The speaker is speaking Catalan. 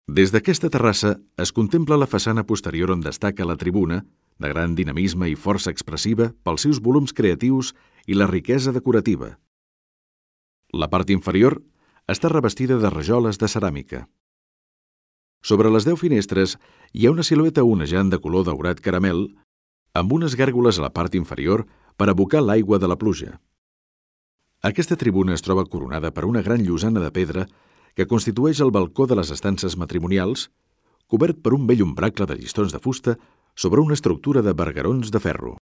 Des d'aquesta terrassa es contempla la façana posterior on destaca la tribuna, de gran dinamisme i força expressiva pels seus volums creatius i la riquesa decorativa. La part inferior està revestida de rajoles de ceràmica. Sobre les 10 finestres hi ha una silueta onejant de color daurat caramel amb unes gàrgoles a la part inferior per abocar l'aigua de la pluja. Aquesta tribuna es troba coronada per una gran llosana de pedra que constitueix el balcó de les estances matrimonials, cobert per un bell ombracle de llistons de fusta sobre una estructura de barguerons de ferro.